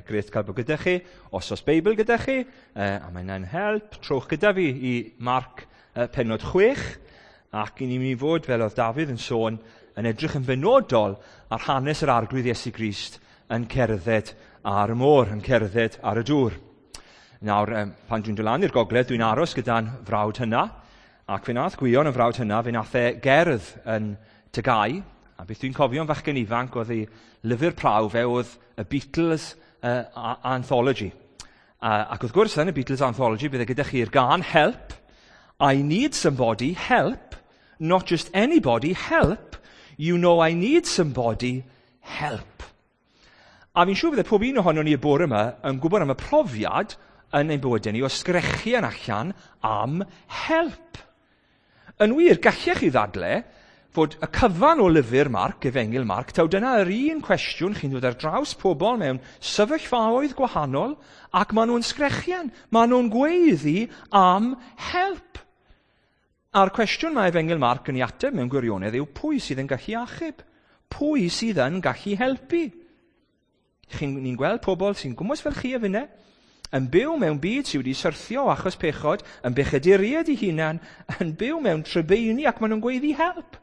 Grêt cael bod gyda chi. Os oes Beibl gyda chi, a mae hynna'n help, trowch gyda fi i Marc pennod 6, ac i ni'n mynd i fod, fel oedd Dafydd yn sôn, yn edrych yn benodol ar hanes yr Arglwydd Iesu Grist yn cerdded ar y môr, yn cerdded ar y dŵr. Nawr, pan dwi'n dod lan i'r gogledd, dwi'n aros gyda'n frawd hynna, ac fe nath Gwion yn frawd hynna, fe nath e gerdd yn Tygau, a beth dwi'n cofio yn fachgen ifanc oedd ei lyfr prawf e oedd y Beatles Anthology. Ac wrth gwrs, yn y Beatles Anthology, bydde gyda chi'r gân "Help, I need somebody, help, not just anybody, help, you know I need somebody, help." A fi'n siŵr bydde pob un ohonon ni y bore yma yn gwybod am y profiad yn ein bywydau ni o sgrechian allan am help. Yn wir, gallech chi ddadle fod y cyfan o lyfr Marc, Efengyl Marc, taw dyna yr un cwestiwn. Chi'n dod ar draws pobl mewn sefyllfaoedd gwahanol ac maen nhw'n sgrechian, maen nhw'n gweiddi am help. A'r cwestiwn mae Efengyl Marc yn ei ateb mewn gwirionedd yw pwy sydd yn gallu achub? Pwy sydd yn gallu helpu? Ni'n gweld pobl sy'n gwmws fel chi a finne, yn byw mewn byd sydd wedi syrthio achos pechod, yn bechaduriaid eu hunan, yn byw mewn trybeini ac maen nhw'n gweiddi "Help!"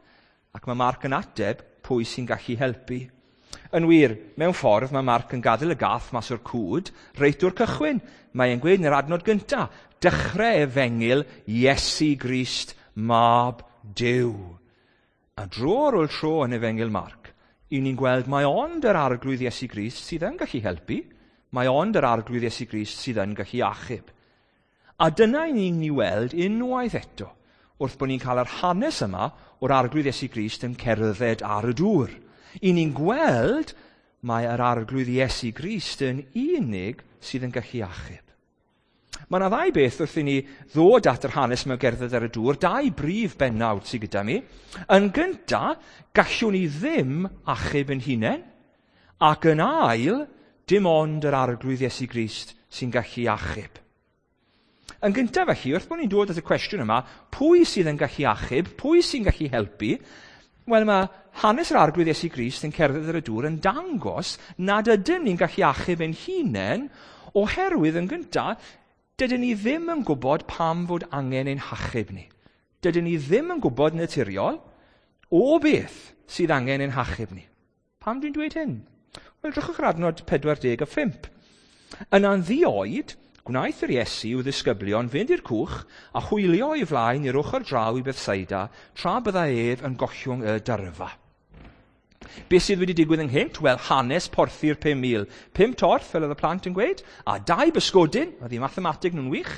Ac mae Marc yn ateb pwy sy'n gallu helpu. Yn wir, mewn ffordd, mae Marc yn gadael y gath mas o'r cwd reit o'r cychwyn. Mae'n gweud yn yr adnod gyntaf, "Dechrau efengyl Iesu Grist, Mab Duw." A dro ar ôl tro yn Efengyl Marc, i ni'n gweld mae ond yr Arglwydd Iesu Grist sydd yn gallu helpu, mae ond yr Arglwydd Iesu Grist sydd yn gallu achub. A dyna i ni'n ni weld unwaith eto, wrth bod ni'n cael yr hanes yma o'r Arglwydd Iesu Grist yn cerdded ar y dŵr. I ni'n gweld mae yr Arglwydd Iesu Grist yn unig sydd yn gallu achub. Mae yna ddau beth wrth i ni ddod at yr hanes mewn gerdded ar y dŵr, dau brif bennawd sydd gyda mi. Yn gyntaf, gallwn ni ddim achub yn hunain, ac yn ail, dim ond yr Arglwydd Iesu Grist sy'n gallu achub. Yn gyntaf felly, wrth bod ni'n dod at y cwestiwn yma, pwy sydd yn gallu achub, pwy sy'n gallu helpu? Wel, mae hanes yr Arglwydd Iesu Grist yn cerdded ar y dŵr yn dangos nad ydym ni'n gallu achub ein hunain, oherwydd yn gyntaf, dydyn ni ddim yn gwybod pam fod angen ein hachub ni. Dydyn ni ddim yn gwybod naturiol o beth sydd angen ein hachub ni. Pam dwi'n dweud hyn? Wel, drychwch ar adnod 45. "Yna'n ddi-oed, gwnaeth yr Iesu i'w ddisgyblion fynd i'r cwch a hwylio o'i flaen i'r ochr draw i Bethsaida, tra byddai ef yn gollwng y dyrfa." Beth sydd wedi digwydd ynghynt? Wel, hanes porthi'r 5,000. Pum torth, fel oedd y plant yn gweud, a dau bysgodyn, oedd eu mathemateg nhw'n wych,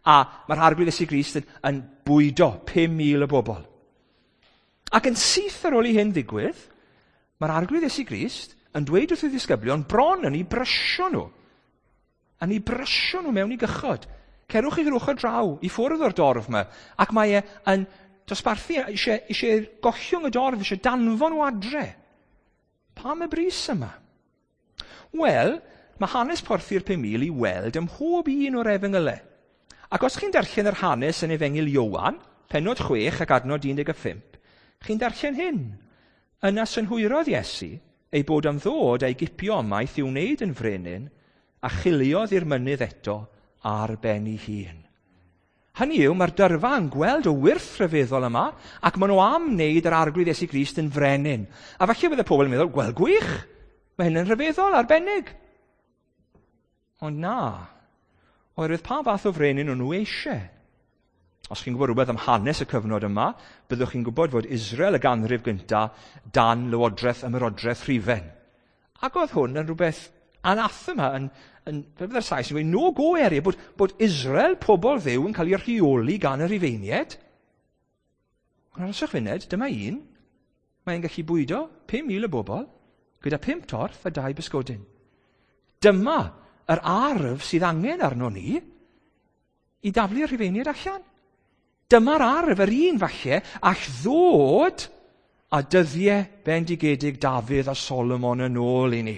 a mae'r Arglwydd Iesu Grist yn bwydo 5,000 o bobl. Ac yn syth ar ôl i hyn ddigwydd, mae'r Arglwydd Iesu Grist yn dweud wrth ei ddisgyblion bron yn eu brysio nhw. Yn eu brysio nhw mewn i gychod. "Cerwch i'r ochr draw, i ffwrdd o'r dorf yma." Ac mae e yn dosbarthu, eisiau gollwng y dorf, eisiau danfon nhw adre. Pam y brys yma? Wel, mae hanes porthi'r 5,000 i weld ym mhob un o'r efengylau. Ac os chi'n darllen yr hanes yn Efengyl Ioan, pennod 6 ac adnod 15, chi'n darllen hyn. "Yna synhwyrodd Iesu ei bod am ddod a'i gipio ymaith i'w wneud yn frenin, a chiliodd i'r mynydd eto ar ben ei hun." Hynny yw, mae'r dyrfa yn gweld y wyrth rhyfeddol yma, ac maen nhw am wneud yr Arglwydd Iesu Grist yn frenin. A falle bydde pobl yn meddwl, "Wel, gwych, mae hyn yn rhyfeddol, arbennig." Ond na, oherwydd pa fath o frenin o'n nhw eisiau? Os chi'n gwybod rhywbeth am hanes y cyfnod yma, byddwch chi'n gwybod fod Israel y ganrif gyntaf dan lywodraeth ymerodraeth Rhufain. Ac oedd hwn yn rhywbeth anathema, yn fel bydde'r Sais yn gweud, no-go area, bod Israel, pobl Dduw, yn cael ei rheoli gan y Rhufeiniaid. Ond arhoswch funud, dyma un, mae'n gallu bwydo 5,000 o bobl gyda pum torth a dau bysgodyn. Dyma yr arf sydd angen arno ni i daflu'r Rhufeiniaid allan. Dyma'r arf, yr un falle, all ddod a dyddiau bendigedig Dafydd a Solomon yn ôl i ni.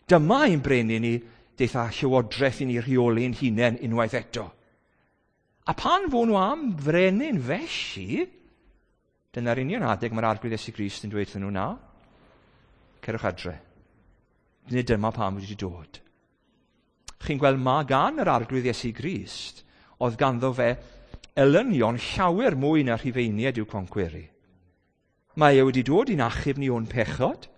Dyma ein brenin ni, deith â llywodraeth i ni rheoli'n hunain unwaith eto. A pan fo nhw am frenin felly, dyna'r union adeg mae'r Arglwydd Iesu Grist yn dweud wrthyn nhw, "Na, cerwch adre. Nid dyma pam wedi dod." Chi'n gweld mae gan yr Arglwydd Iesu Grist, oedd ganddo fe elynion llawer mwy na Rhufeiniaid i'w concweru. Mae e wedi dod i'n achub ni o'n pechod,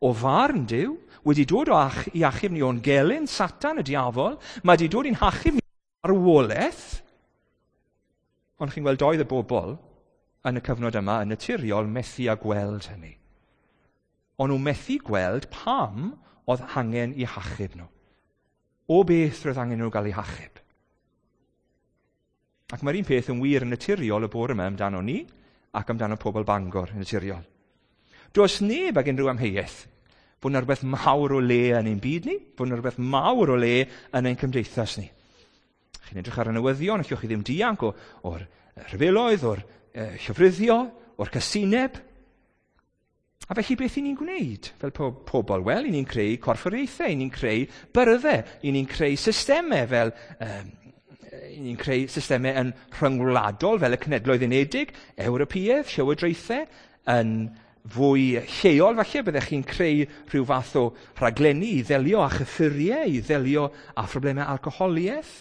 o farn Duw, wedi dod o ach i achub ni o'n gelyn, Satan, y diafol, mae wedi dod i'n hachub ni arwolaeth. Ond chi'n gweld doedd y bobl yn y cyfnod yma yn naturiol methu â gweld hynny. O'n nhw methu gweld pam oedd angen i hachub nhw. O beth roedd angen nhw gael eu hachub. Ac mae'r un peth yn wir yn naturiol y bore yma amdano ni ac amdano pobl Bangor yn naturiol. Does neb ag unrhyw amheuaeth bod yna rhywbeth mawr o le yn ein byd ni, bod yna rhywbeth mawr o le yn ein cymdeithas ni. Chi'n edrych ar y newyddion, allwch chi ddim dianc o'r rhyfeloedd, o'r llofruddio, o'r casineb. A felly beth i ni'n gwneud fel pobl? Wel, i ni'n creu corfforaethau, i ni'n creu byrddau, i ni'n creu systemau fel... i ni'n creu systemau yn rhyngwladol fel y Cenhedloedd Unedig, Ewropeaidd, llywodraethau, yn fwy lleol falle, byddech chi'n creu rhyw fath o rhaglenni i ddelio â chyffuriau, i ddelio â phroblemau alcoholiaeth.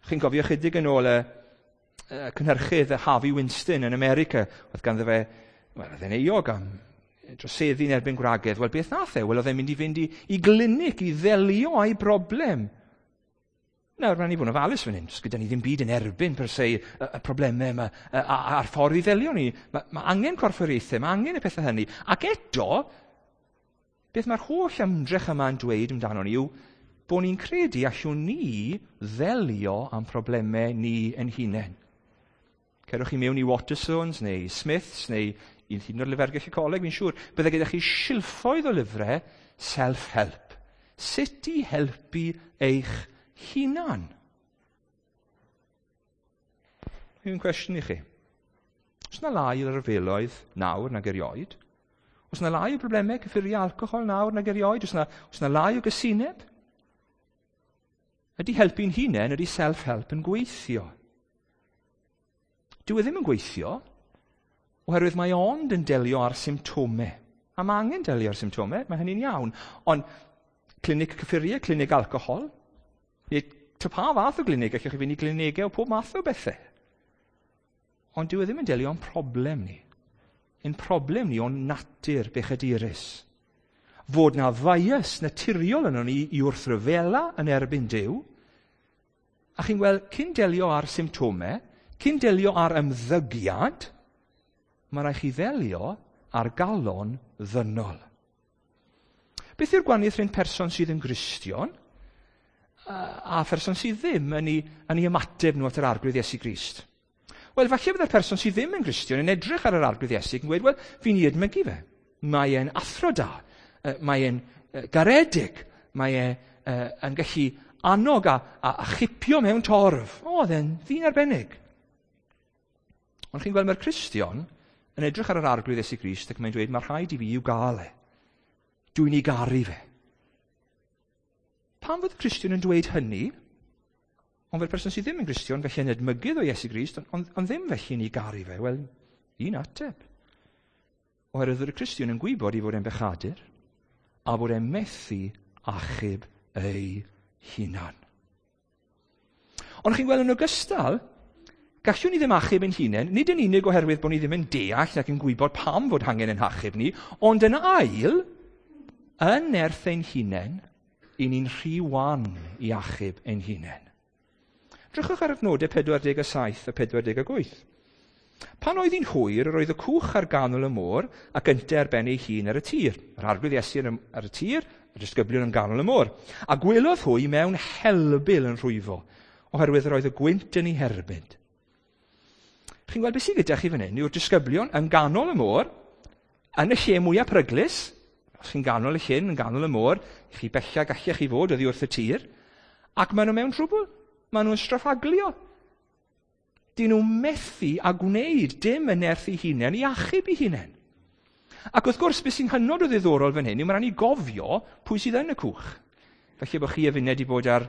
Chi'n cofio chydig yn ôl y cynhyrchydd Harvey Weinstein yn America, oedd ganddo fe, wel, oedd e'n euog am droseddu yn erbyn gwragedd. Wel, beth nath e? Wel, oedd e'n mynd i fynd i glinig i ddelio â'i broblem. Nawr, rhaid ni fod yn ofalus fan hyn, gyda ni ddim byd yn erbyn per se y problemau yma a'r ffordd i ddelio ni. Mae angen corfforaethau, mae angen y pethau hynny. Ac eto, beth mae'r holl ymdrech yma'n dweud amdano ni yw bod ni'n credu allwn ni ddelio am problemau ni yn hunain. Cerwch chi mewn i Waterstones neu Smiths neu i hyd yn oed lyfrgell y coleg, fi'n siŵr, bydde gyda chi silffoedd o lyfrau self-help. Sut i helpu eich hunan? Un cwestiwn i chi. Oes 'na lai o ryfeloedd nawr nag erioed? Oes 'na lai o broblemau cyffuriau alcohol nawr nag erioed? Oes 'na lai o gysineb? Ydy helpu'n hunain, ydy self-help yn gweithio? Dyw e ddim yn gweithio, oherwydd mae ond yn delio â'r symptomau. A mae angen delio â'r symptomau, mae hynny'n iawn. Ond clinig cyffuriau, clinig alcohol, neu ta pa fath o glinig, allwch chi fynd i glinigau o pob math o bethau. Ond dyw e ddim yn delio â'n problem ni. Ein problem ni o'n natur bechadurus. Fod na bias naturiol yno ni i wrthryfela yn erbyn Duw. A chi'n gweld, cyn delio â'r symptomau, cyn delio â'r ymddygiad, mae rhaid chi ddelio â'r galon ddynol. Beth yw'r gwahaniaeth rhwng person sydd yn Gristion a pherson sydd ddim yn ei ymateb nhw at yr Arglwydd Iesu Grist? Wel, falle byddai'r person sydd ddim yn Gristion yn edrych ar yr Arglwydd Iesu yn gweud, wel, fi'n ei edmygu fe. Mae e'n athro da, mae e'n garedig, mae e yn gallu annog a chipio mewn torf. O, oedd e'n ddyn arbennig. Ond chi'n gweld mae'r Cristion yn edrych ar yr Arglwydd Iesu Grist ac mae'n dweud, mae rhaid i fi i'w gael e. Dwi'n ei garu fe. Pam fod y Cristion yn dweud hynny? Ond fel person sydd ddim yn Gristion, felly yn edmygydd o Iesu Grist, ond ddim felly yn ei garu fe. Wel, un ateb. Oherwydd y Cristion yn gwybod i fod e'n bechadur, a bod e'n methu achub ei hunan. Ond chi'n gweld yn ogystal, gallwn ni ddim achub ein hunain, nid yn unig oherwydd bod ni ddim yn deall ac yn gwybod pam fod angen ein hachub ni, ond yn ail, yn nerth ein hunain, i ni'n rhy wan i achub ein hunain. Drychwch ar adnodau 47 a 48. Pan oedd hi'n hwyr, yr oedd y cwch ar ganol y môr ac ynte ar ben ei hun ar y tir. Yr Arglwydd Iesu ar y tir, y disgyblion yn ganol y môr. A gwelodd hwy mewn helbul yn rhwyfo, oherwydd yr oedd y gwynt yn ei herbyn. Chi'n gweld beth sydd gyda chi fan hyn yw'r disgyblion yn ganol y môr, yn y lle mwyaf peryglus. Os chi'n ganol y llyn, yn ganol y môr, chi bella gallech chi fod oddi wrth y tir, ac maen nhw mewn trwbl. Maen nhw'n straffaglio. Dyn nhw methu a gwneud dim yn nerth eu hunain i achub eu hunain. Ac wrth gwrs, beth sy'n hynod o ddiddorol fan hyn yw mae'n rhaid ni gofio pwy sydd yn y cwch. Felly bod chi a finne wedi bod ar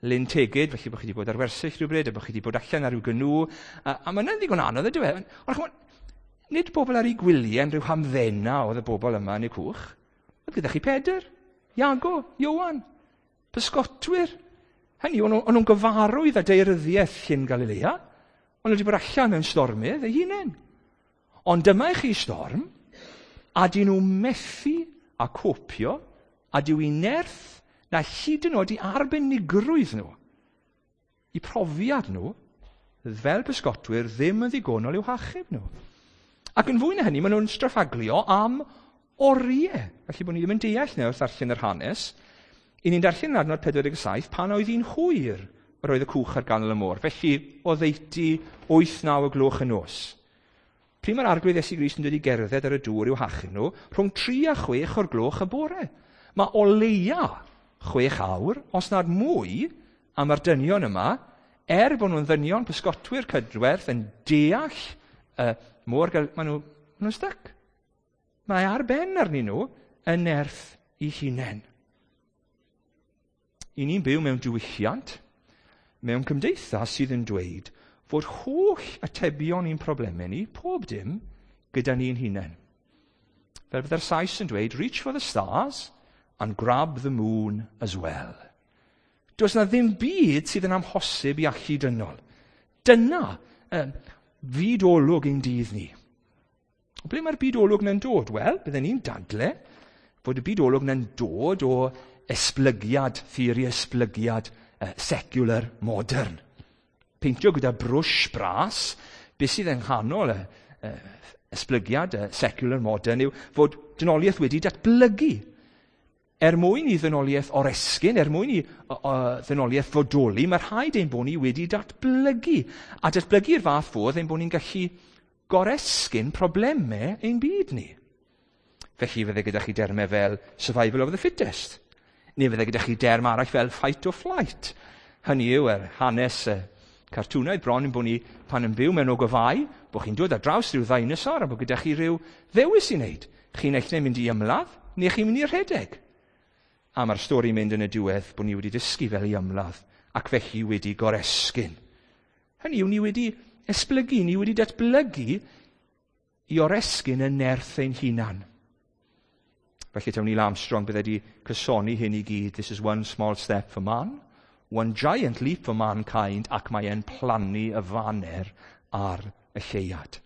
Lyn Tegid, felly bod chi wedi bod ar wersyll rhywbryd, a bod chi wedi bod allan ar ryw gynw, a mae'n ddigon anodd ydyw e. Ond ch'mod, nid bobl ar eu gwyliau yn rhyw hamddena oedd y bobl yma yn y cwch. Oedd gyda chi Pedr, Iago, Ioan, pysgotwyr. Hynny, o'n nhw'n gyfarwydd â daearyddiaeth Llyn Galilea. O'n nhw wedi bod allan mewn stormydd eu hunain. Ond dyma i chi storm, a dyn nhw methu a copio, a dyw i nerth na hyd yn oed i arbenigrwydd nhw, i profiad nhw, fel pysgotwyr, ddim yn ddigonol i'w hachub nhw. Ac yn fwy na hynny, maen nhw'n straffaglio am oriau. Felly bod ni ddim yn deall nawr wrth ddarllen yr hanes. I ni'n darllen yn adnod 47, pan oedd hi'n hwyr yr oedd y cwch ar ganol y môr. Felly, oddeutu 8-9 o gloch y nos. Pryd mae'r Arglwydd Iesu Grist yn dod i gerdded ar y dŵr i'w hachub nhw? Rhwng 3 a 6 o'r gloch y bore. Mae o leia 6 awr, os nad mwy, am yr dynion yma, er bod nhw'n ddynion pysgotwyr cydwerth yn deall y môr, maen nhw'n nhw stuck. Mae ar ben arnyn nhw yn nerth i hunain. I ni'n byw mewn diwylliant, mewn cymdeithas sydd yn dweud fod holl atebion i'n problemau ni, pob dim, gyda ni'n hunain. Fel bydde'r Sais yn dweud, "Reach for the stars and grab the moon as well." Does na ddim byd sydd yn amhosib i allu dynol. Dyna fyd olwg ein dydd ni. O ble mae'r byd olwg na'n dod? Wel, bydden ni'n dadle fod y byd olwg na'n dod o esblygiad, theori esblygiad secular modern. Peintio gyda brwsh bras, beth sydd yng nghanol y esblygiad secular modern yw fod dynoliaeth wedi datblygu. Er mwyn i ddynoliaeth oresgyn, er mwyn i ddynoliaeth fodoli, mae rhaid ein bod ni wedi datblygu. A datblygu'r fath fodd ein bod ni'n gallu goresgyn problemau ein byd ni. Felly fydde gyda chi dermau fel survival of the fittest. Neu fydde gyda chi derm arall fel fight or flight. Hynny yw, er hanes cartwnaidd bron yn bod ni pan yn byw mewn ogofau, bod chi'n dod ar draws rhyw ddinosaur a bod gyda chi rhyw ddewis i wneud. Chi'n eich mynd i ymladd, neu chi'n mynd i rhedeg. A mae'r stori mynd yn y diwedd bod ni wedi dysgu fel i ymladd, ac felly wedi goresgyn. Hynny yw, ni wedi esblygu, ni wedi datblygu i oresgyn y nerth ein hunan. Felly taw Neil Armstrong bydde wedi cysoni hyn i gyd. "This is one small step for man, one giant leap for mankind," ac mae e'n plannu y faner ar y lleuad.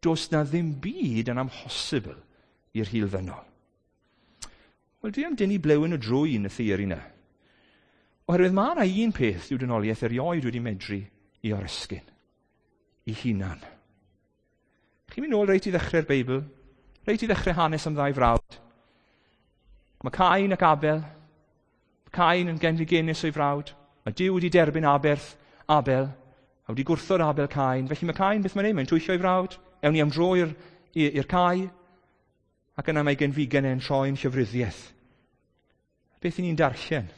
Does na ddim byd yn amhosibl i'r hil ddynol. Wel, dwi am dynnu blewyn o drwyn y theori yna. Oherwydd mae yna un peth yw dynoliaeth erioed wedi medru i oresgyn. I hunan. Chi'n mynd nôl reit i ddechrau'r Beibl, reit i ddechrau hanes am ddau frawd. Mae Cain ac Abel. Cain yn genfigennus o'i frawd. Mae Duw wedi derbyn aberth Abel, a wedi gwrthod Abel Cain. Felly mae Cain, beth mae'n neud? Mae'n twyllo ei frawd. Ewn ni am dro i'r cae. Ac yna mae genfigen e'n troi'n llofruddiaeth. Beth i ni'n darllen?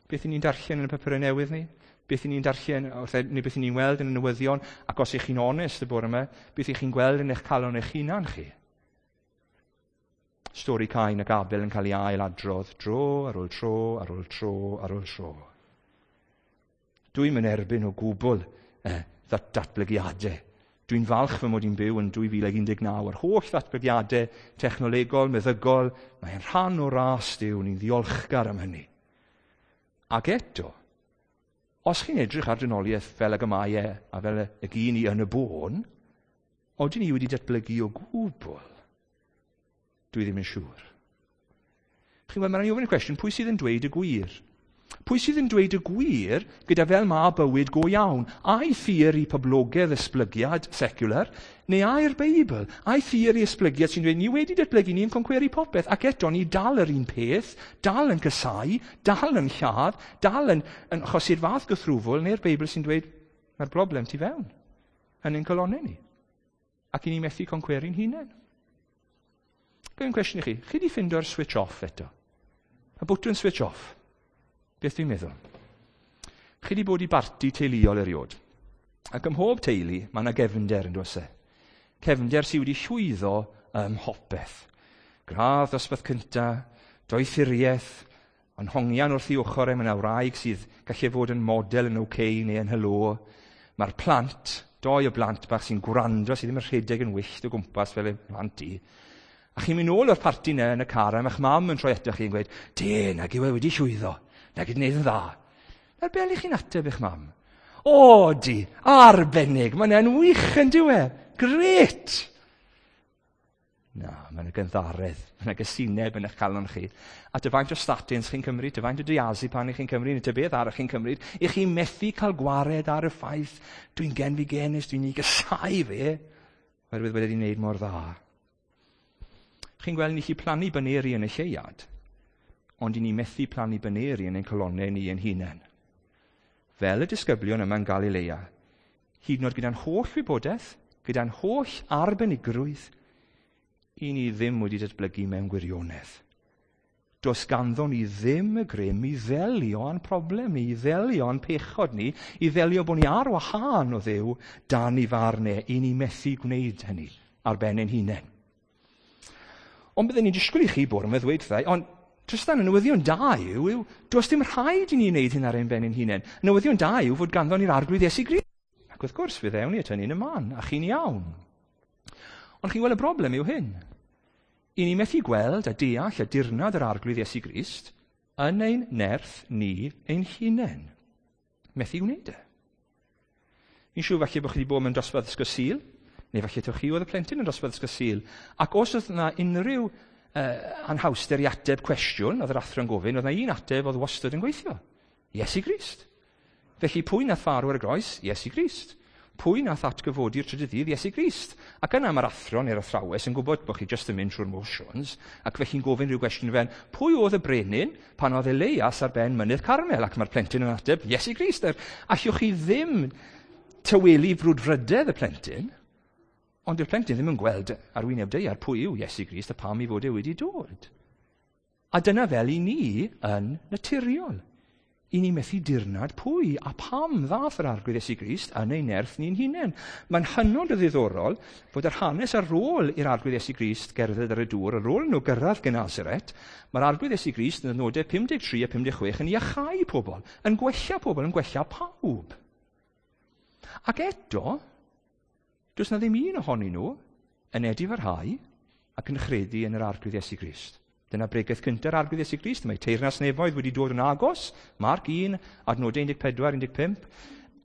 Beth i ni'n darllen yn y papurau newydd ni? Beth i ni'n darllen, wrth, neu beth i ni'n weld yn y newyddion? Ac os ych chi'n onest y bore yma, beth ych chi'n gweld yn eich calon eich hunan chi? Stori Cain ac Abel yn cael ei ail adrodd dro ar ôl tro ar ôl tro ar ôl tro. Dwi'n mynd erbyn o gwbl datblygiadau. Dwi'n falch fy mod i'n byw yn 2019 a'r holl ddatblygiadau technolegol, meddygol, mae'n rhan o ras Duw, ni'n ddiolchgar am hynny. Ac eto, os chi'n edrych ar dynoliaeth fel ag y mae e, a fel y gyn i yn y bôn, odyn ni wedi datblygu o gwbl? Dwi ddim yn siŵr. Chi'n gweld, mae'n rhaid i ofyn y cwestiwn, pwy sydd yn dweud y gwir? Pwy sydd yn dweud y gwir gyda fel ma bywyd go iawn? Ai theori poblogaidd esblygiad secular, neu ai'r Beibl? Ai theori esblygiad sy'n dweud ni wedi datblygu, ni'n concweru popeth, ac eto ni dal yr un peth, dal yn casáu, dal yn lladd, dal yn achosi'r fath gythrwfwl, neu'r Beibl sy'n dweud mae'r broblem tu fewn, yn ein calonnau ni? Ac i ni methu concweru'n hunain. Gwyn cwestiwn i chi, chi di ffindo'r switch off eto? Y bwtwn switch off? Beth dwi'n meddwl? Chi wedi bod i barti teuluol eriod. Ac ym mhob teulu, mae yna gefnder yn does e. Cefnder sydd wedi llwyddo ym mhopeth. Gradd dosbarth cynta, doethuriaeth, ond hongian wrth ei ochr e, mae yna wraig sydd gallu fod yn model yn OK neu yn Hello. Mae'r plant, doi o blant bach sy'n gwrando, sydd ddim yn rhedeg yn wyllt o gwmpas fel y plant i. A chi'n mynd nôl o'r parti yna yn y car, a mae'ch mam yn troi ato chi yn gweud, "De, nag yw e wedi llwyddo, nag yw wneud yn dda." Nawr, be chi'n ateb eich mam? O, di, arbennig, mae'n e'n wych yn diwe. Gret! Na, mae'n gynddaredd, mae'n gysineb yn eich calon chi. A dy faint o statins chi'n cymryd, dy faint o diazepam chi'n cymryd, neu dy beth arall chi'n cymryd, i chi methu cael gwared ar y ffaith, dwi'n genfigenus, dwi'n ei gysau fe, oherwydd wedi wneud mor dda. Chi'n gweld ni chi plannu baneri yn y lleuad, ond i ni methu plannu baneri yn ein colonnau ni ein hunain. Fel y disgyblion yma'n Galilea, hyd yn oed gyda'n holl wybodaeth, gyda'n holl arbenigrwydd, i ni ddim wedi datblygu mewn gwirionedd. Does ganddo ni ddim y grym i ddelio â'n problem ni, i ddelio â'n pechod ni, i ddelio bod ni ar wahân o Dduw dan i farn e, i ni methu gwneud hynny ar ben ein hunain. Ond byddwn ni'n disgwyl i chi bod yma ddweud wrthai, ond Tristan, y newyddion da yw, does dim rhaid i ni wneud hyn ar ein ben ein hunain. Y newyddion da yw fod ganddo ni'r Arglwydd Iesu Grist. Ac wrth gwrs, fe ddewn ni at hynny yn y man, a chi'n iawn. Ond chi'n gweld y broblem yw hyn. I ni methu gweld a deall a dirnad yr Arglwydd Iesu Grist yn ein nerth ni ein hunain. Methu gwneud e. Fi'n siŵr falle bod chi wedi bod mewn dosbarth ysgol Sul, neu falle taw chi oedd y plentyn yn dosbarth ysgol Sul. Ac os oedd yna unrhyw anhawster i ateb cwestiwn, oedd yr athro'n gofyn, oedd yna un ateb oedd wastad yn gweithio. Iesu Grist. Felly pwy nath farw ar y groes? Iesu Grist. Pwy nath atgyfodi'r trydydd ddydd? Iesu Grist. Ac yna mae'r athro neu'r athrawes yn gwybod bod chi jyst yn mynd trwy'r motions, ac felly'n gofyn rhyw gwestiwn fel, pwy oedd y brenin pan oedd Elias ar ben mynydd Carmel? Ac mae'r plentyn yn ateb, Iesu Grist. Allwch chi ddim tawelu frwdfrydedd y plentyn, ond yw'r plentyn ddim yn gweld ar wyneb daear pwy yw Iesu Grist a pam ei fod e wedi dod. A dyna fel i ni yn naturiol. I ni methu dirnad pwy a pam ddath yr Arglwydd Iesu Grist yn ei nerth ni'n hunain. Mae'n hynod o ddiddorol fod yr hanes ar ôl i'r Arglwydd Iesu Grist gerdded ar y dŵr, ar ôl nhw gyrraedd Genesaret, mae'r Arglwydd Iesu Grist yn y nodau 53 a 56 yn iachau pobl, yn gwella pobl, yn gwella pawb. Ac eto, does na ddim un ohonyn nhw yn edifarhau ac yn chredu yn yr Arglwydd Iesu Grist. Dyna bregeth cynta'r Arglwydd Iesu Grist. Mae teyrnas nefoedd wedi dod yn agos. Marc 1, adnodau 14, 15.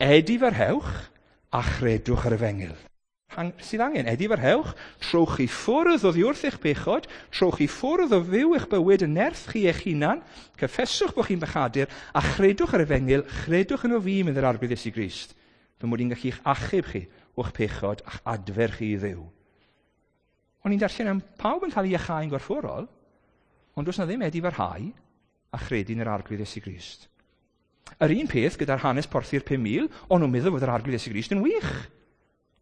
Edifarhewch a chredwch yr efengyl. Sydd angen, edifarhewch, trowch chi ffwrdd oddi wrth eich pechod, trowch chi ffwrdd o fyw eich bywyd yn nerth chi eich hunan, cyffeswch bod chi'n bechadur, a chredwch yr efengyl, chredwch yn o fi, mynd yr Arglwydd Iesu Grist, fy mod i'n gallu eich achub chi o'ch pechod a'ch adfer chi i Dduw. O'n i'n darllen am pawb yn cael ei iachau'n gorfforol, ond does na ddim edifarhau a chredu yn yr Arglwydd Iesu Grist. Yr un peth gyda'r hanes porthi'r 5,000, o'n nhw'n meddwl fod yr Arglwydd Iesu Grist yn wych.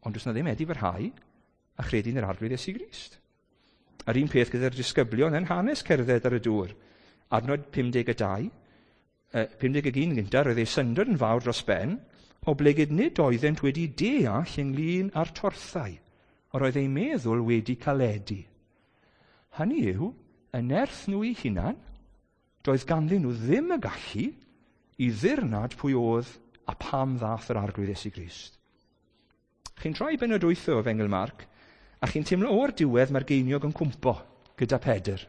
Ond does na ddim edifarhau a chredu yn yr Arglwydd Iesu Grist. Yr un peth gyda'r disgyblion yn hanes cerdded ar y dŵr. Adnod 52, 51 gyntaf, roedd ei syndod yn fawr dros ben, oblegid nid oeddent wedi deall ynglyn â'r torthau, yr oedd eu meddwl wedi caledu. Hynny yw, y nerth nhw eu hunan, doedd ganddyn nhw ddim y gallu i ddirnad pwy oedd a pam ddath yr Arglwydd Iesu Grist. Chi'n troi bennod 8 o Efengyl Marc, a chi'n teimlo o'r diwedd mae'r geiniog yn cwmpo gyda Pedr.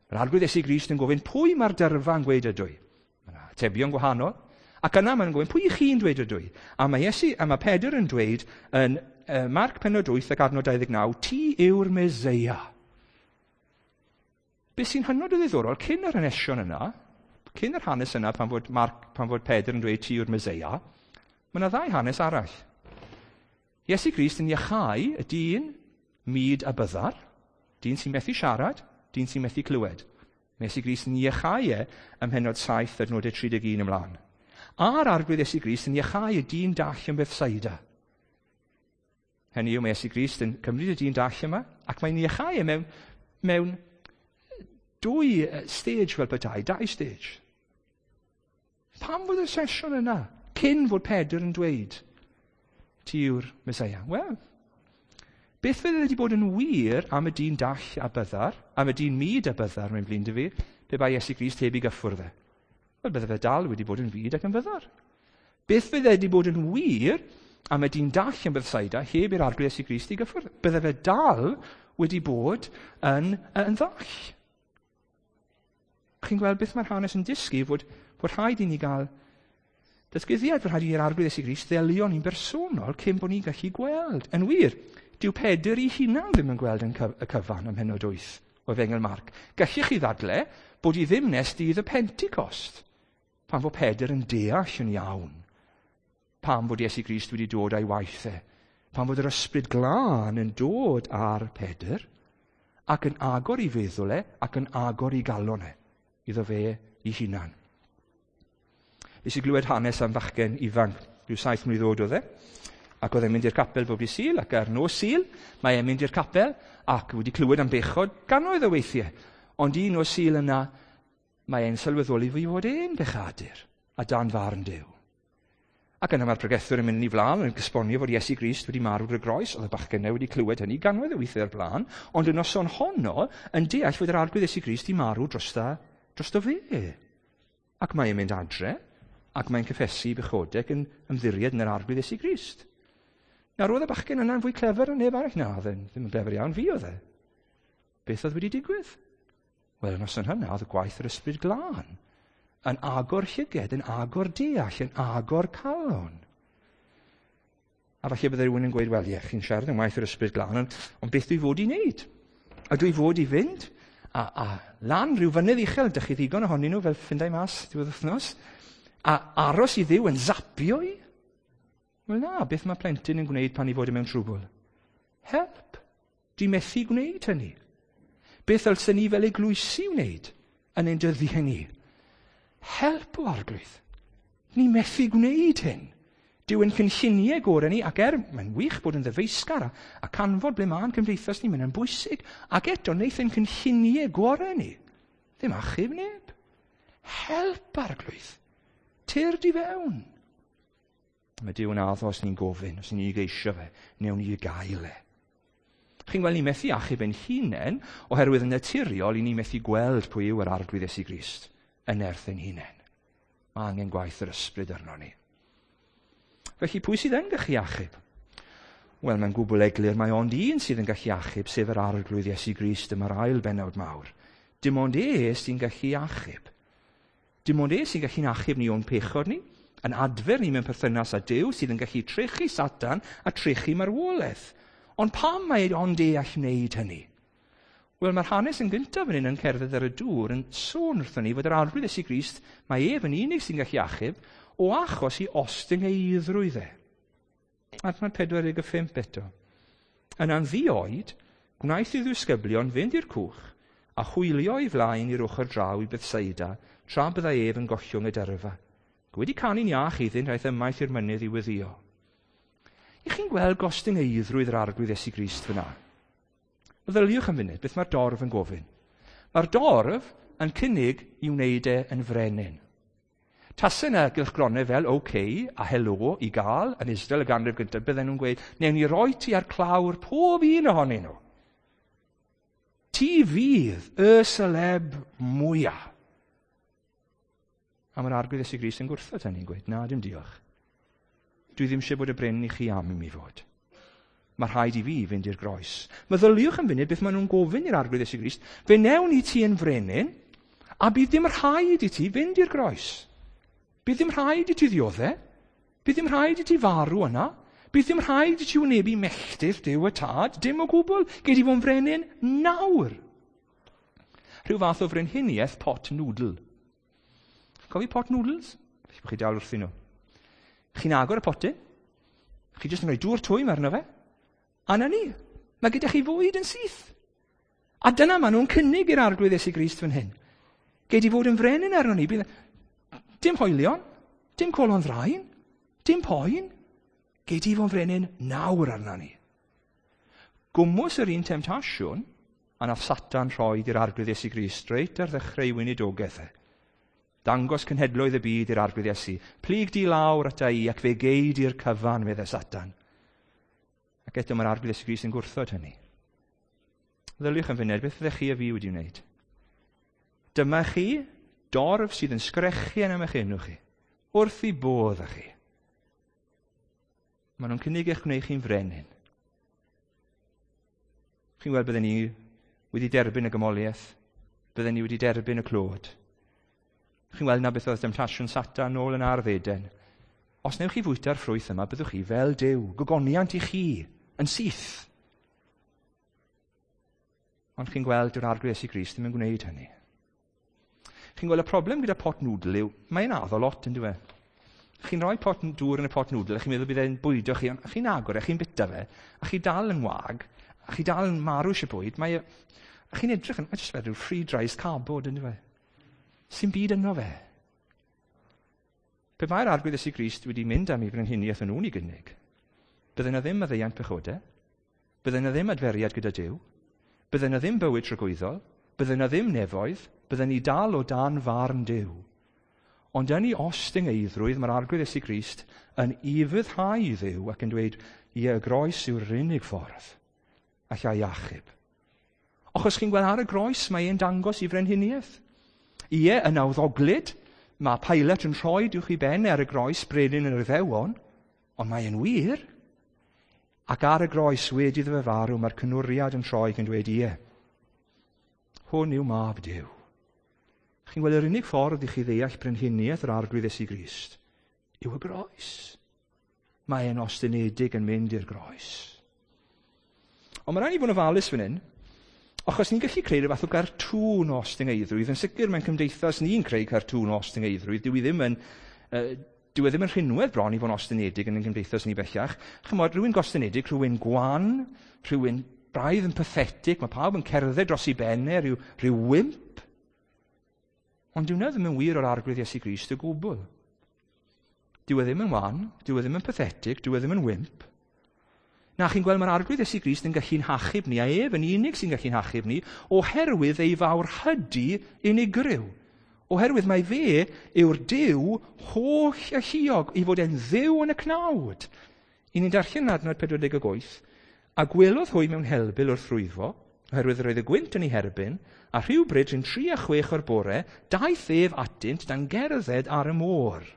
Mae'r Arglwydd Iesu Grist yn gofyn pwy mae'r dyrfa yn gweud ydw i. Mae yna atebion gwahanol. Ac yna mae'n gofyn pwy i chi'n dweud ydw i. A mae Iesu, a mae Pedr yn dweud yn Marc pennod 8 ac adnod 29, ti yw'r Meseia. Be sy'n hynod o ddiddorol, cyn yr hanesion yna, cyn yr hanes yna pan fod Pedr yn dweud ti yw'r Meseia, mae yna ddau hanes arall. Iesu Grist yn iachau y dyn mud a byddar, dyn sy'n methu siarad, dyn sy'n methu clywed. Mae Iesu Grist yn iachau e ym mhennod 7 adnodau 31 ymlaen. A'r Arglwydd Iesu Grist yn iachau y dyn dall yn Bethsaida. Hynny yw, mae Iesu Grist yn cymryd y dyn dall yma, ac mae'n iachau e mewn dwy stage fel petai, dau stage. Pam fod y sesiwn yna, cyn fod Pedr yn dweud, ti yw'r Meseia? Wel, beth fydde wedi bod yn wir am y dyn dall a byddar, am y dyn mud a byddar, mae'n flin dy fi, pe bai Iesu Grist heb ei gyffwrdd e? Wel, bydde fe dal wedi bod yn fud ac yn fyddar. Beth fydde wedi bod yn wir am y dyn dall yn Bethsaida heb i'r Arglwydd Iesu Grist ei gyffwrdd? Bydde fe dal wedi bod yn ddall. Chi'n gweld beth mae'r hanes yn dysgu, fod rhaid i ni gael Datguddiad, fy rhaid i'r Arglwydd Iesu Grist ddelio ni'n bersonol cyn bod ni'n gallu gweld. Yn wir, dyw Pedr ei hunan ddim yn gweld yn y cyfan ym mhennod 8 o Efengyl Marc. Gallech chi ddadle bod i ddim nes dydd y Pentecost, pan fod Pedr yn deall yn iawn pam fod Iesu Grist wedi dod a'i waith e, pan fod yr Ysbryd Glân yn dod ar Pedr ac yn agor ei feddwl e ac yn agor ei galon e iddo fe ei hunan. Nes i glywed hanes am fachgen ifanc, rhyw 7 mlwydd oed oedd e, ac oedd e'n mynd i'r capel bob dydd Sul, ac ar nos Sul mae e'n mynd i'r capel ac wedi clywed am bechod gannoedd o weithiau. Ond un nos Sul yna, mae e'n sylweddoli fod e'n bechadur a dan farn Duw. Ac yna mae'r pregethwr yn mynd yn ei flaen yn esbonio fod Iesu Grist wedi marw ar y groes. Oedd y bachgen yna wedi clywed hynny gannoedd o weithiau o'r blaen, ond y noson honno yn deall fod yr Arglwydd Iesu Grist i marw drosto fe. Ac mae e'n mynd adre, ac mae'n cyffesu bechodau ac yn ymddiried yn yr Arglwydd Iesu Grist. Nawr, oedd y bachgen yna'n fwy clefer na neb arall? Na, oedd e'n ddim yn glefer iawn, fi oedd e. Beth oedd wedi digwydd? Wel, y noson hynna, oedd y gwaith yr Ysbryd Glân yn agor llyged, yn agor deall, yn agor calon. A falle bydde rhywun yn gweud, wel, ie, chi'n siarad am waith yr Ysbryd Glân, ond beth dwi fod i wneud? A dwi fod i fynd a lan rhyw fynydd uchel, dych chi ddigon ohonyn nhw fel ffindau mas diwedd wythnos, a aros i Dduw yn zapio i? Wel na, beth mae plentyn yn gwneud pan i fod yn mewn trwbl? Help! Dwi methu gwneud hynny. Beth ddylsen ni fel eglwysi wneud yn ein dyddiau ni? Help o Arglwydd. Ni methu gwneud hyn. Dyw ein cynlluniau gorau ni, ac mae'n wych bod yn ddyfeisgar a canfod ble mae'n cymdeithas ni, mae'n bwysig, ac eto wneith ein cynlluniau gorau ni ddim achub neb. Help, Arglwydd. Tyrd i fewn. Mae Duw yn addo os ni'n gofyn, os ni'n geisio fe, newn ni gael e. Chi'n gweld ni methu achub ein hunain, oherwydd yn naturiol i ni methu gweld pwy yw yr Arglwydd Iesu Grist yn nerth ein hunain. Mae angen gwaith yr Ysbryd arno ni. Felly pwy sydd yn gallu achub? Wel, mae'n gwbl eglur mae ond un sydd yn gallu achub, sef yr Arglwydd Iesu Grist. Dyma'r ail bennawd mawr. Dim ond e sy'n gallu achub. Dim ond e sy'n gallu'n achub ni o'n pechod ni, yn adfer ni mewn perthynas â Duw sydd yn gallu trechu Satan a trechu marwolaeth. Ond pam mae ond e all wneud hynny? Wel, mae'r hanes yn gyntaf fan hyn yn cerdded ar y dŵr yn sôn wrthon ni fod yr Arglwydd Iesu Grist, mae ef yn unig sy'n gallu achub, o achos i ostyngeiddrwydd e. Adnod 45 eto. Yna'n ddi-oed, gwnaeth ei ddisgyblion fynd i'r cwch a hwylio ei flaen i'r ochr draw i Bethsaida, tra byddai ef yn gollwng y dyrfa. Wedi canu'n iach iddynt, aeth ymaith i'r mynydd i weddïo. I chi'n gweld gostyngeiddrwydd yr Arglwydd Iesu Grist fyna? Meddyliwch am funud, beth mae'r dorf yn gofyn? Mae'r dorf yn cynnig i wneud e yn frenin. Tase yna gylchgronau fel OK a Helo i gael yn Israel y ganrif gyntaf, bydden nhw'n gweud, newn ni roi ti ar clawr pob un ohonyn nhw. Ti fydd y celeb mwyaf. A mae'r Arglwydd Iesu Grist yn gwrthod hynny'n gweud, na, dim diolch. Dwi ddim eisiau bod y brenin i chi am i mi fod. Mae rhaid i fi fynd i'r groes. Meddyliwch am funud beth maen nhw'n gofyn i'r Arglwydd Iesu Grist. Fe newn ni ti yn frenin, a bydd dim rhaid i ti fynd i'r groes. Bydd dim rhaid i ti ddioddef. Bydd dim rhaid i ti farw yna. Bydd dim rhaid i ti wynebu melltith Duw y Tad. Dim o gwbl. Gei di fod yn frenin nawr. Rhyw fath o frenhiniaeth pot noodle. Cofio pot noodles? Felly bod chi dal wrthyn nhw. Chi'n agor y potyn. Chi jyst yn rhoi dŵr twym arno fe. A na ni. Mae gyda chi fwyd yn syth. A dyna maen nhw'n cynnig i'r Arglwydd Iesu Grist fan hyn. Gei di fod yn frenin arno ni. Bydd dim hoelion, dim colon ddraen, dim poen. Gei di fod yn frenin nawr arno ni. Gwmws yr un temtasiwn, a nath Satan rhoi i'r Arglwydd Iesu Grist reit ar ddechrau ei weinidogaeth e. Dangos cenhedloedd y byd i'r Arglwydd Iesu. Plyg di lawr ata i ac fe gei di'r cyfan, meddai Satan. Ac eto mae'r Arglwydd Iesu Grist yn gwrthod hynny. Ddyliwch yn funud, beth fyddech chi a fi wedi wneud? Dyma chi, dorf sydd yn sgrechian am eich enw chi, wrth i bodd â chi. Maen nhw'n cynnig eich gwneud chi'n frenin. Chi'n gweld bydden ni wedi derbyn y gymoliaeth, bydden ni wedi derbyn y clod. Chi'n gweld na beth oedd demtasiwn Satan nôl yn ardd Eden. Os newch chi fwyta'r ffrwyth yma, byddwch chi fel Duw, gogoniant i chi, yn syth. Ond chi'n gweld, dyw'r Arglwydd Iesu Grist ddim yn gwneud hynny. Chi'n gweld y problem gyda pot noodle yw, mae'n addo lot yn dyw e. Chi'n rhoi pot dŵr yn y pot noodle, a chi'n meddwl bydd e'n bwydo chi, ond chi'n agor e, chi'n bita fe, a chi dal yn wag, a chi dal yn marw eisiau bwyd, mae, a chi'n edrych yn, mae jyst fel rhyw fried rice cardboard yn dyw e. Sy'n byd yno fe. Pe bai'r Arglwydd Iesu Grist wedi mynd am ei frenhiniaeth yn nhw'n ei gynnig, bydde yna ddim maddeuant pechodau, bydde yna ddim adferiad gyda Duw, bydde yna ddim bywyd tragwyddol, bydde yna ddim nefoedd, bydde ni dal o dan farn Duw. Ond yn ei ostyngeiddrwydd, mae'r Arglwydd Iesu Grist yn ufuddhau i Dduw ac yn dweud, ie, y groes yw'r unig ffordd allai achub. Achos chi'n gweld ar y groes mae e'n dangos i frenhiniaeth. Ie, yn awddoglyd, mae Pilate yn rhoi uwch ei ben ar y groes brenin yr Iddewon, ond mae e'n wir. Ac ar y groes wedi iddo fe farw, mae'r cynwriad yn troi ac yn dweud, ie, hwn yw mab Duw. Chi'n gweld yr unig ffordd i chi ddeall brenhiniaeth yr Arglwydd Iesu Grist yw y groes. Mae e'n ostynedig yn mynd i'r groes. Ond mae rhaid i fod yn ofalus fan hyn, achos ni'n gallu creu rhyw fath o gartŵn o ostyngeiddrwydd. Yn sicr mewn cymdeithas ni'n creu cartŵn o ostyngeiddrwydd. Dyw i ddim yn, dyw e ddim yn rhinwedd bron i fod yn ostynedig yn ein cymdeithas ni bellach. Chymod, rhywun gostynedig, rhywun gwan, rhywun braidd yn pathetic, mae pawb yn cerdded dros ei ben e, rhyw wimp. Ond dyw hwnna ddim yn wir o'r Arglwydd Iesu Grist o gwbl. Dyw e ddim yn wan, dyw e ddim yn pathetic, dyw e ddim yn wimp. Na, chi'n gweld mae'r Arglwydd Iesu Grist yn gallu'n hachub ni, a ef yn unig sy'n gallu'n hachub ni, oherwydd ei fawrhydi unigryw. Oherwydd mai fe yw'r Duw holl alluog, i fod e'n Dduw yn y cnawd. I ni'n darllen yn adnod 48, a gwelodd hwy mewn helbul wrth rwyfo, oherwydd yr oedd y gwynt yn ei herbyn, a rhywbryd rhwng 3 a 6 o'r bore, daeth ef atynt dan gerdded ar y môr.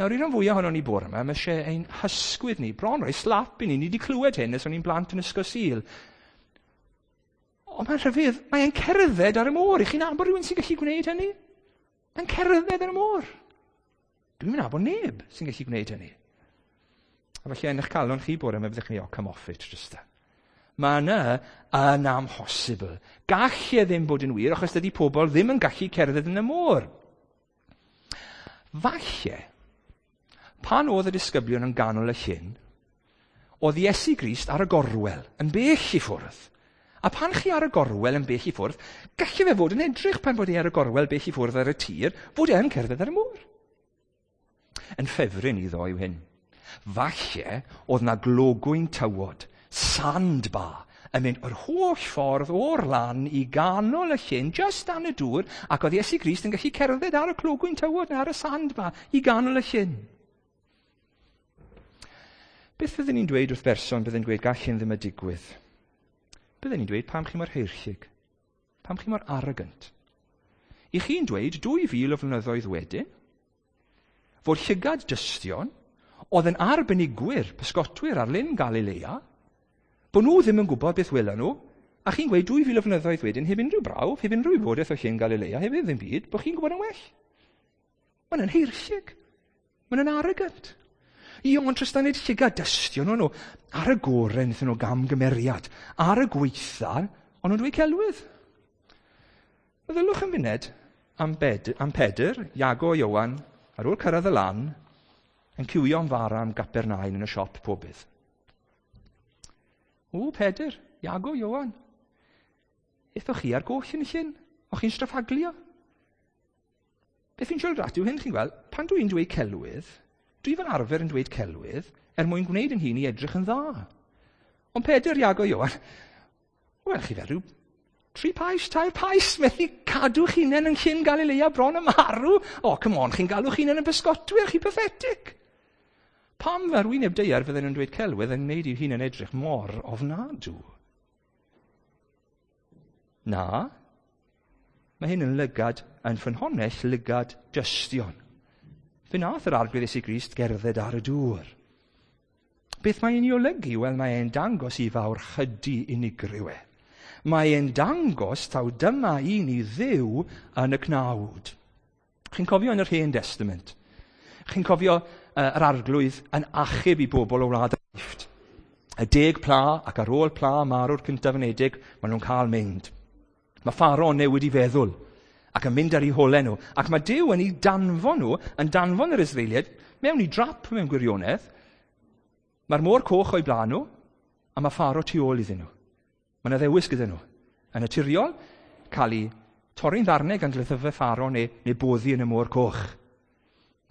Nawr, un o'n fwyaf ohonon ni bore yma, mae eisiau ein hysgwydd ni, bron rhoi slap i ni, ni wedi clywed hyn ers o'n i'n blant yn ysgol Sul. Ond mae'n rhyfedd, mae'n cerdded ar y môr. I chi'n nabod rhywun sy'n gallu gwneud hynny? Mae'n cerdded ar y môr. Dwi'n nabod neb sy'n gallu gwneud hynny. A felly yn eich calon chi bore yma, byddwch chi, oh, come off it, Trista. Mae yna yn amhosibl. Gall e ddim bod yn wir, achos dydy pobl ddim yn gallu cerdded yn y môr. Falle, pan oedd y disgyblion yn ganol y llyn, oedd Iesu Grist ar y gorwel, yn bell i ffwrdd. A pan chi ar y gorwel yn bell i ffwrdd, gallai fe fod yn edrych pan bod e ar y gorwel bell i ffwrdd ar y tir, fod e'n cerdded ar y môr. Yn ffefryn iddo yw hyn. Falle oedd na glogwyn tywod, sandbar, yn mynd yr holl ffordd o'r lan i ganol y llyn, just dan y dŵr, ac oedd Iesu Grist yn gallu cerdded ar y clogwyn tywod ar y sandbar i ganol y llyn. Beth fyddwn ni'n dweud wrth berson byddwn ni'n dweud gall hyn ddim y digwydd? Byddwn ni'n dweud pam chi mor heirllug? Pam chi mor arrogant? I chi'n dweud 2000 o flynyddoedd wedyn, fod llygad dystion oedd yn arbenigwyr, pysgotwyr ar lyn Galilea, bod nhw ddim yn gwybod beth welon nhw, a chi'n gweud 2000 o flynyddoedd wedyn, heb unrhyw brawf, heb unrhyw wybodaeth o llyn Galilea, heb ddim byd, bod chi'n gwybod yn well. Mae'n yn heirllug. Mae'n yn arrogant. I ond Tristan nid llygad dystion o'n nhw. Ar y gorau wnaethon nhw gamgymeriad. Ar y gweitha, o'n nhw'n dweud celwydd. Meddylwch am funud am, am Pedr, Iago, Iowan, ar ôl cyrraedd y lan, yn ciwio am fara am Gapernaum yn y siop pobydd. O, Pedr, Iago, Iowan, Aethoch chi ar goll yn y llyn? O'ch chi'n straffaglio? Beth fi'n siarad at yw hyn, chi'n gweld, pan dwi'n dweud celwydd, dwi fel arfer yn dweud celwydd er mwyn gwneud yn hun i edrych yn dda. Ond Pedr, Iago, Iowan, wel, chi fel rhyw 3 pais, 3 pais, methu cadw'ch hunain yn llyn Galilea bron y marw. O, come on, chi'n galw'ch hunain yn bysgotwyr, chi pathetic. Pam fel wyneb daear fydden nhw'n dweud celwydd yn gwneud i'w hunain edrych mor ofnadw? Na, mae hyn yn lygad, yn ffynhonnell lygad dystion. Fe nath yr Arglwydd Iesu Grist gerdded ar y dŵr. Beth mae'n ei olygu? Wel, mae e'n dangos i fawrhydi unigryw e. Mae e'n dangos taw dyma un i Dduw yn y cnawd. Chi'n cofio yn yr Hen Testament? Chi'n cofio yr Arglwydd yn achub i bobl o wlad yr Aifft. Y 10 pla ac ar ôl pla marw'r cyntaf anedig, maen nhw'n cael mynd. Mae Pharaoh yn newid i feddwl ac yn mynd ar eu holau nhw. Ac mae Duw yn eu danfon nhw, yn danfon yr Israeliaid, mewn i drap mewn gwirionedd. Mae'r môr coch o'i blaen nhw, a mae Pharaoh tu ôl iddyn nhw. Mae yna ddewis gyda nhw. Yn naturiol, cael eu torri'n ddarnau gan gleddyfau Pharaoh neu boddi yn y môr coch.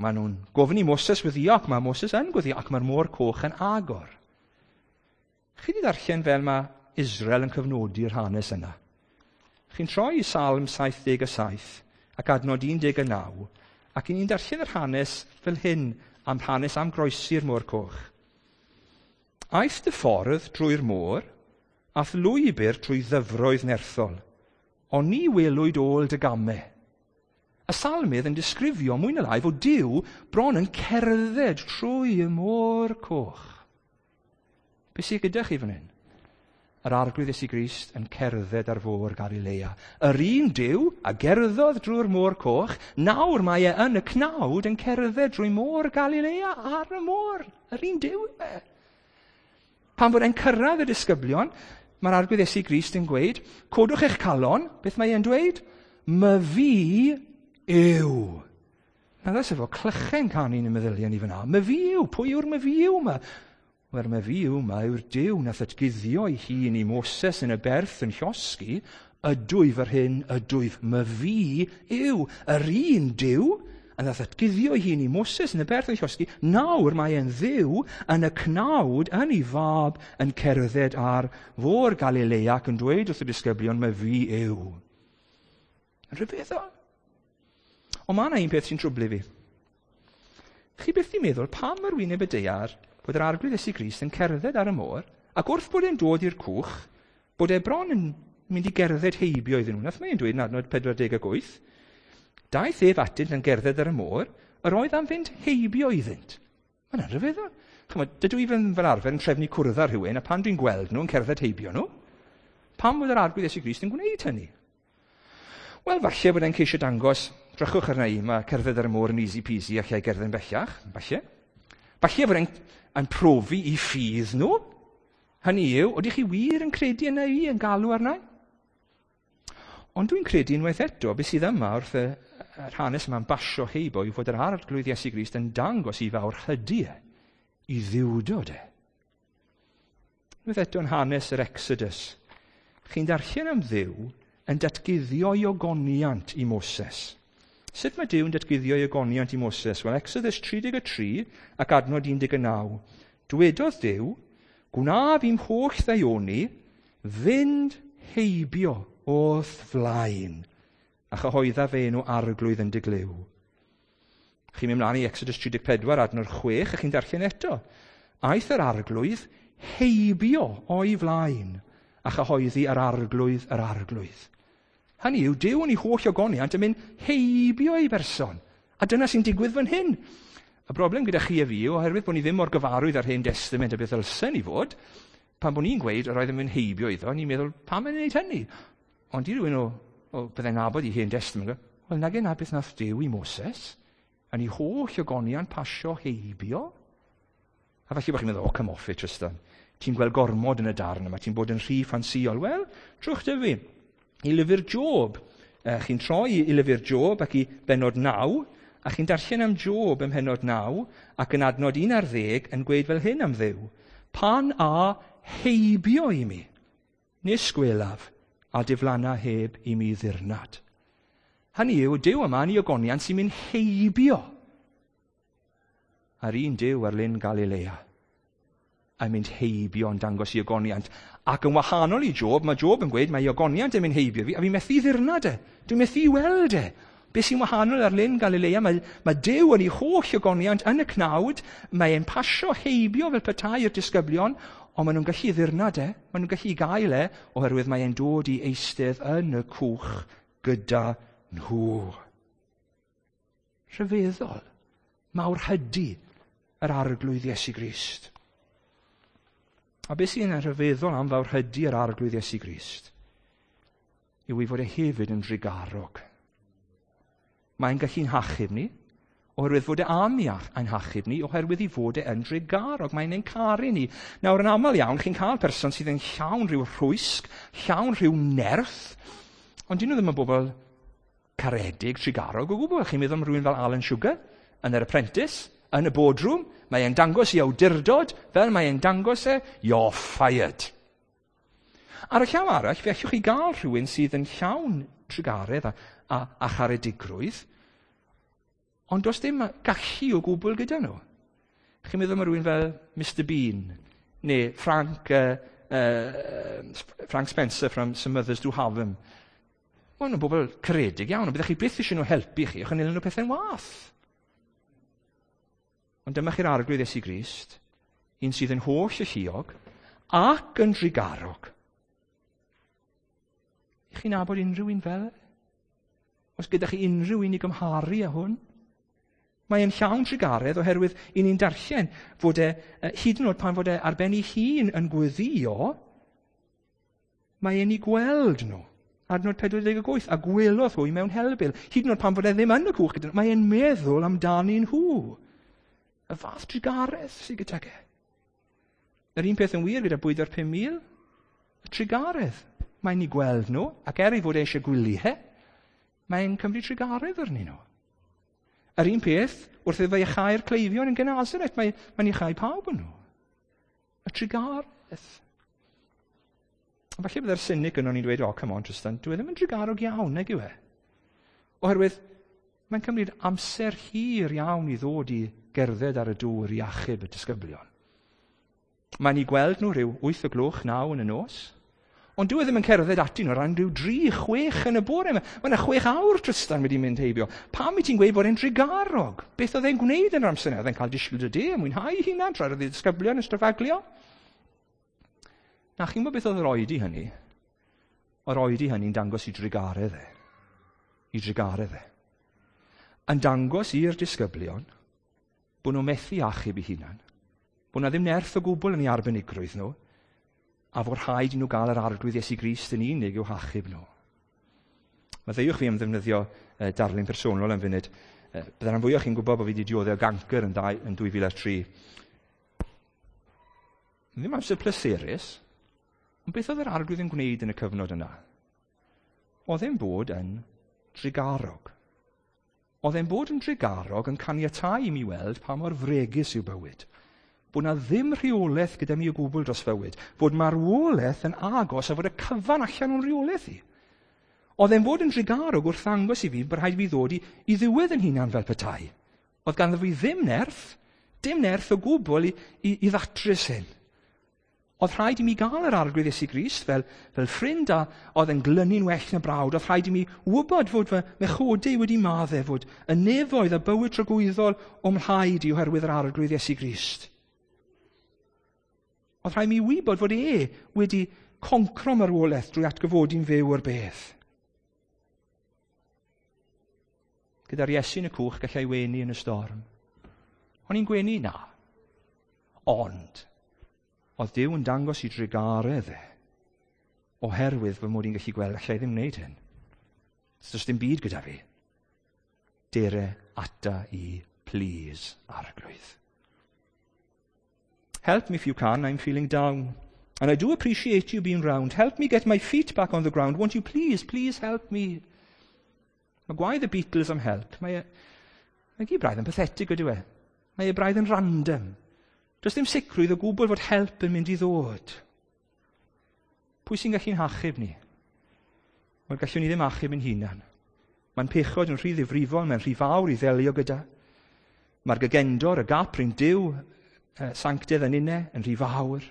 Maen nhw'n gofyn i Moses weddio, ac mae Moses yn gweddio, ac mae'r môr coch yn agor. Chi wedi darllen fel mae Israel yn cyfnodi'r hanes yna. Chi'n troi i Salm 77 ac adnod 19, ac i ni'n darllen yr hanes fel hyn, am hanes am groesi'r môr coch. Aeth dy ffordd drwy'r môr, a'th lwybr trwy ddyfroedd nerthol, ond ni welwyd ôl dy gamau. Y salmydd yn disgrifio mwy na lai fod Duw bron yn cerdded trwy y môr coch. Be sydd gyda chi fan hyn? Yr Arglwydd Iesu Grist yn cerdded ar fôr Galilea. Yr un Duw a gerddodd drwy'r môr coch, nawr mae e yn y cnawd yn cerdded drwy môr Galilea ar y môr. Yr un Duw e. Pan fod e'n cyrraedd y disgyblion, mae'r Arglwydd Iesu Grist yn gweud, codwch eich calon, beth mae e'n dweud? My fi yw. Na ddys efo clychen canu yn y meddyliau ni fyna. My fi yw, pwy yw'r my fi yw yma? Wel, my fi yw yma yw'r Duw nath atguddio ei hun i Moses yn y berth yn llosgi, ydwyf yr hyn, ydwyf. My fi yw yr un Duw a nath atguddio ei hun i Moses yn y berth yn llosgi, nawr mae e'n Dduw yn y cnawd yn ei fab yn cerdded ar fôr Galilea ac yn dweud wrth y disgyblion, my fi yw. Yn rhyfeddol. Ond mae yna un peth sy'n trwblu fi. Chi byth di meddwl pam yr wyneb y daear bod yr Arglwydd Iesu Grist yn cerdded ar y môr, ac wrth bod e'n dod i'r cwch, bod e bron yn mynd i gerdded heibio iddyn nhw. Nath mae'n dweud yn adnod 48, daeth ef atynt yn gerdded ar y môr, yr oedd am fynd heibio iddynt. Mae'n rhyfeddol. Chymod, dydw i fel arfer yn trefnu cwrdd â rhywun, a pan dwi'n gweld nhw yn cerdded heibio nhw, pam bod yr Arglwydd Iesu Grist yn gwneud hynny? Wel, falle bod e'n ceisio dangos, drychwch arna i, mae cerdded ar y môr yn easy peasy a lle gerdded yn bellach, falle. Falle bod e'n profi i ffydd nhw. Hynny yw, oeddech chi wir yn credu yna i, yn galw arna i? Ond dwi'n credu unwaith eto, beth sydd yma wrth yr hanes yma'n basio heibo yw fod yr Arglwydd Iesu Grist yn dangos i fawr hydu e, i ddiwdod e. Unwaith eto yn hanes yr Exodus, chi'n darllen am Dduw yn datguddio ei ogoniant i Moses. Sut mae Duw yn datguddio ei ogoniant i Moses? Wel, Exodus 33 ac adnod 19. Dwedodd Duw, gwnaf i'm holl ddaioni fynd heibio o'th flaen, a chyhoedda fe enw Arglwydd yn dy glyw. Chi'n mynd mlaen i Exodus 34 adnod 6, a chi'n darllen eto. Aeth yr Arglwydd heibio o'i flaen, a chyhoeddi yr Arglwydd yr Arglwydd. Hynny yw, Duw yn ei holl ogoniant yn mynd heibio ei berson. A dyna sy'n digwydd fan hyn. Y broblem gyda chi a fi yw, oherwydd bod ni ddim mor gyfarwydd ar Hen Testament a beth ddylsen ni fod, pan bod ni'n gweud yr oedd yn mynd heibio iddo, ni'n meddwl, pam yn gwneud hynny? Ond i rywun o byddai'n nabod i Hen Testament, wel, nage na beth nath Duw i Moses, yn ei holl ogoniant pasio heibio. A falle bod chi'n meddwl, oh, come off it, Tristan. Ti'n gweld gormod yn y darn yma, ti'n bod yn rhy ffansïol. Wel, trwch dy fi. I lyfr Job. Chi'n troi i lyfr Job ac i bennod 9, a chi'n darllen am Job ym mhennod 9, ac yn adnod 11 yn gweud fel hyn am Dduw. Pan a heibio i mi, nis gwelaf, a diflanna heb i mi ddirnad. Hynny yw, Duw yma yn ei ogoniant sy'n mynd heibio ar un Duw ar lyn Galilea. A mynd heibio yn dangos ei ogoniant. Ac yn wahanol i Job, mae Job yn gweud mae ei ogoniant yn mynd heibio fi, a fi methu ddirnad e. Dwi'n methu weld e. Be sy'n wahanol ar lyn Galilea, mae Duw yn ei holl ogoniant yn y cnawd, mae e'n pasio heibio fel petai i'r disgyblion, ond maen nhw'n gallu ddirnad e, maen nhw'n gallu gael e, oherwydd mae e'n dod i eistedd yn y cwch gyda nhw. Rhyfeddol, mawr hydu yr Arglwydd Iesu Grist. A beth sy'n rhyfeddol am fawr hydu yr Arglwydd Iesu Grist yw ei fod e hefyd yn drugarog. Mae'n gallu'n hachub ni, Oherwydd fod e am i ein hachub ni, oherwydd i fod e yn drugarog. Mae'n ein caru ni. Nawr, yn aml iawn, chi'n cael person sydd yn llawn rhyw rhwysg, llawn rhyw nerth, ond dyn nhw ddim yn bobl caredig, trugarog o gwbl. Chi'n meddwl am rhywun fel Alan Sugar yn yr Apprentice, yn y boardroom, mae e'n dangos i awdurdod, fel mae e'n dangos e, "You're fired." Ar y llaw arall, fe allwch chi gael rhywun sydd yn llawn trugaredd a charedigrwydd, ond does dim gallu o gwbl gyda nhw. Chi'n meddwl am rhywun fel Mr Bean, neu Frank Spencer from Some Mothers Do Have 'Em. Wel, nhw'n bobl caredig iawn, ond byddech chi byth eisiau nhw helpu chi, achos nhw'n nhw pethau'n wath. Ond dyma chi'r Arglwydd Iesu Grist, un sydd yn holl alluog ac yn drugarog. I chi'n nabod unrhyw un fel e? Os gyda chi unrhyw un i gymharu â hwn? Mae e'n llawn trugaredd oherwydd i ni'n darllen fod e, hyd yn oed pan fod e ar ben ei hun yn gweddio, mae e'n ei gweld nhw. Adnod 48, a gwelodd hwy mewn helbul. Hyd yn oed pan fod e ddim yn y cwch gyda nhw, mae e'n meddwl amdanyn nhw. Y fath trugaredd sydd gydag e. Yr un peth yn wir gyda bwyd ar 5,000, y trugaredd. Mae'n ei gweld nhw, ac er ei fod e eisiau gwyliau, mae'n cymryd trugaredd arnyn nhw. Yr un peth, wrth iddo iachau'r cleifion yn Genesaret, mae'n iachau pawb yn nhw. Y trugaredd. A falle byddai'r cynic yno ni'n dweud, "Oh, come on, Tristan, dwi e ddim yn drugarog iawn, nag yw e?" Oherwydd, mae'n cymryd amser hir iawn i ddod i gerdded ar y dŵr i achub y disgyblion. Mae'n ei gweld nhw rhyw 8 o gloch, 9 yn y nos. Ond dyw e ddim yn cerdded ati nhw ran rhyw 3, 6 yn y bore. Mae yna 6 awr, Tristan, wedi mynd heibio. Pam i ti'n gweud bod e'n drugarog? Beth oedd e'n gwneud yn yr amser yna? Oedd e'n cael disgwyl y de, mwynhau hunan, tra oedd y disgyblion yn stryffaglio? Na, chi'n gwybod beth oedd yr oedi hynny? Yr oedi hynny'n dangos i drugaredd e. I drugaredd e. Yn dangos i'r disgyblion bod nhw'n methu achub eu hunan. Bod na ddim nerth o gwbl yn ei arbenigrwydd nhw, a fod rhaid i nhw gael yr Arglwydd Iesu Grist yn unig i'w hachub nhw. Maddeuwch fi am ddefnyddio darlun personol am funud. Byddai'n rhan fwyaf chi'n gwybod bod fi wedi dioddef gancr yn 2003. Ddim amser pleserus, ond beth oedd yr Arglwydd yn gwneud yn y cyfnod yna? Oedd e'n bod yn drugarog. Oedd e'n bod yn drugarog yn caniatau i mi weld pa mor fregus yw bywyd. Bod na ddim rheolaeth gyda mi o gwbl dros fywyd. Fod marwolaeth yn agos a fod y cyfan allan o'n rheolaeth i. Oedd e'n bod yn drugarog wrth ddangos i fi bod rhaid i fi ddod i ddiwedd yn hunan fel petai. Oedd ganddo fi ddim nerth, dim nerth o gwbl i ddatrys hyn. Oedd rhaid i mi gael yr Arglwydd Iesu Grist fel ffrind a oedd yn glynu'n well na brawd. Oedd rhaid i mi wybod fod fy mhechodau wedi maddau, fod y nefoedd a bywyd tragwyddol o'm mhlaid i oherwydd yr Arglwydd Iesu Grist. Oedd rhaid mi wybod fod e wedi concro marwolaeth drwy atgyfodi'n fyw o'r bedd. Gyda'r Iesu yn y cwch, gallai wenu yn y storm. O'n i'n gwenu? Na. Ond, oedd Duw yn dangos i drugaredd e, oherwydd fy mod i'n gallu gweld allai ddim wneud hyn. Does dim byd gyda fi. Dere ata i, please, Arglwydd. Help me if you can, I'm feeling down. And I do appreciate you being round. Help me get my feet back on the ground. Won't you please, please help me? Mae gwaedd y Beatles am help. Mae gyd braidd yn pathetic, ydyw e? Mae e braidd yn random. Does dim sicrwydd o gwbl fod help yn mynd i ddod. Pwy sy'n gallu'n hachub ni? Wel, gallwn ni ddim achub yn hunan. Mae'n pechod yn rhy ddifrifol, mae'n rhy fawr i ddelio gyda. Mae'r gagendor, y gap rhwng Duw, sanctedd a ninne, yn rhy fawr.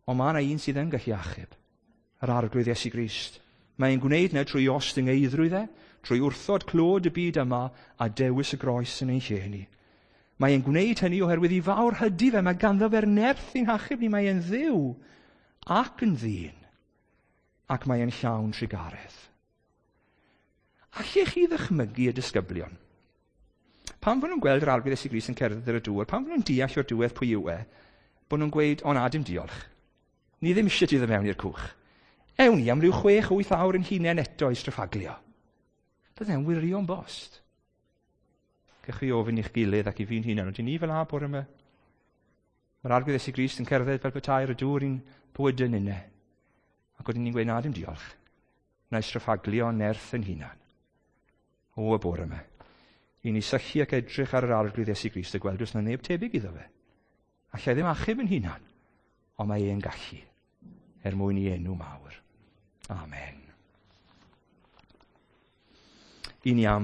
Ond mae yna un sydd yn gallu achub. Yr Arglwydd Iesu Grist. Mae'n gwneud yna trwy ostyngeiddrwydd e, trwy wrthod clod y byd yma a dewis y groes yn ein lle ni. Mae'n gwneud hynny oherwydd i fawr hydi fe, mae ganddo fe'r nerth i'n hachub ni, mae'n Dduw ac yn ddyn, ac mae'n llawn trugaredd. Allech chi ddychmygu y disgyblion? Pan fod nhw'n gweld yr Arglwydd Iesu Grist yn cerdded ar y dŵr, pan fod nhw'n deall o'r diwedd pwy yw e, bod nhw'n gweud, "O na, dim diolch. Ni ddim eisiau ti ddod mewn i'r cwch. Ewn ni am ryw 6, 8 awr yn hunain eto i stryffaglio." Bydde'n wirion bost. Cewch chi ofyn i'ch gilydd ac i fi'n hunan, ydyn ni fel 'na bore yma? Mae'r Arglwydd Iesu Grist yn cerdded fel petai ar y dŵr i'n bywydau ninne. Ac wedyn ni'n gweud, na, dim diolch. Na i straffaglu o'n nerth yn hunan. O, y bore yma. I ni sychu ac edrych ar yr Arglwydd Iesu Grist a gweld oes na neb tebyg iddo fe. Allai ddim achub yn hunan, ond mae e'n gallu, er mwyn i enw mawr. Amen. I ni am